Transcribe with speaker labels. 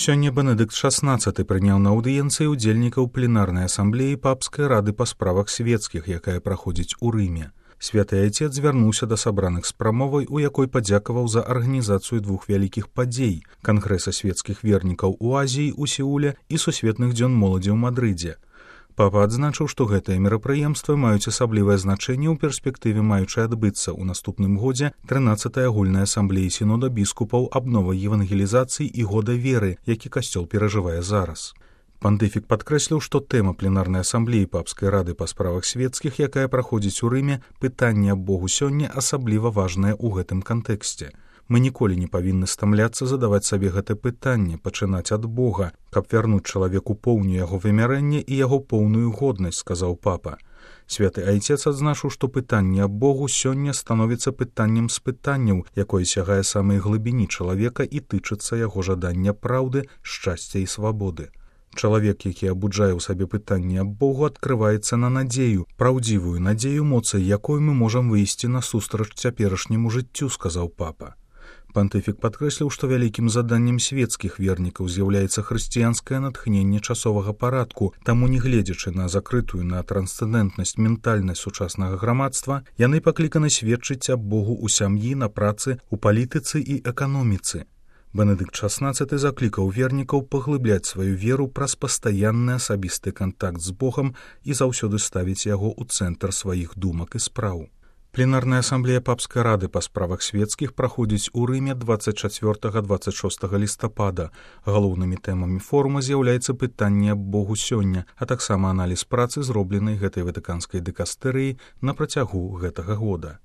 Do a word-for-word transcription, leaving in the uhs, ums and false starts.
Speaker 1: Сёння Бенедыкт шаснаццаты прыняў на аўдыенцыі ўдзельнікаў пленарнай асамблеі папскай рады па справах свецкіх, якая праходзіць у Рыме. Святы Айцец звярнуўся да сабраных з прамовай, у якой падзякаваў за арганізацыю двух вялікіх падзей – Кангрэса свецкіх вернікаў у Азіі ў Сеуле і Сусветных дзён моладзі ў Мадрыдзе. Папа адзначыў, што гэтыя мерапрыемствы маюць асаблівае значэнне ў перспектыве, маючы адбыцца ў наступным годзе трынаццатай агульнай асамблеі сінода біскупаў аб новай евангелізацыі і года веры, які касцёл перажывае зараз. Пантыфік падкрэсліў, што тэма пленарнай асамблеі папскай рады па справах свецкіх, якая праходзіць у Рыме, пытанне аб Богу сёння асабліва важнае ў гэтым кантэксце. Мы ніколі не павінны стамляцца задаваць сабе гэта пытанне, пачынаць ад Бога, каб вярнуць чалавеку поўню яго вымярэння і яго поўную годнасць, сказаў папа. Святы Айцец адзначыў, што пытанне аб Богу сёння становіцца пытаннем з пытанняў, якое сягае самай глыбіні чалавека і тычыцца яго жадання праўды, шчасця і свабоды. Чалавек, які абуджае ў сабе пытанне аб Богу, адкрываецца на надзею, праўдзівую надзею, моцай якой мы можам выйсці насустрач цяперашняму жыццю, сказаў папа. Пантыфік падкрэсліў, што вялікім заданнем свецкіх вернікаў з'яўляецца хрысціянскае натхненне часовага парадку, таму, не гледзячы на закрытую на трансцэндэнтнасць ментальнасць сучаснага грамадства, яны пакліканы сведчыць аб Богу ў сям'і, на працы, у палітыцы і эканоміцы. Бенедыкт шаснаццаты заклікаў вернікаў паглыбляць сваю веру праз пастаянны асабісты кантакт з Богам і заўсёды ставіць яго ў цэнтр сваіх думак і спраў. Пленарная асамблея папскай рады па справах свецкіх праходзіць у Рыме дваццаць чацвёртага - дваццаць шостага лістапада. Галоўнымі тэмамі форума з'яўляецца пытанне аб Богу сёння, а таксама аналіз працы, зробленай гэтай ватыканскай дыкастэрыяй на працягу гэтага года.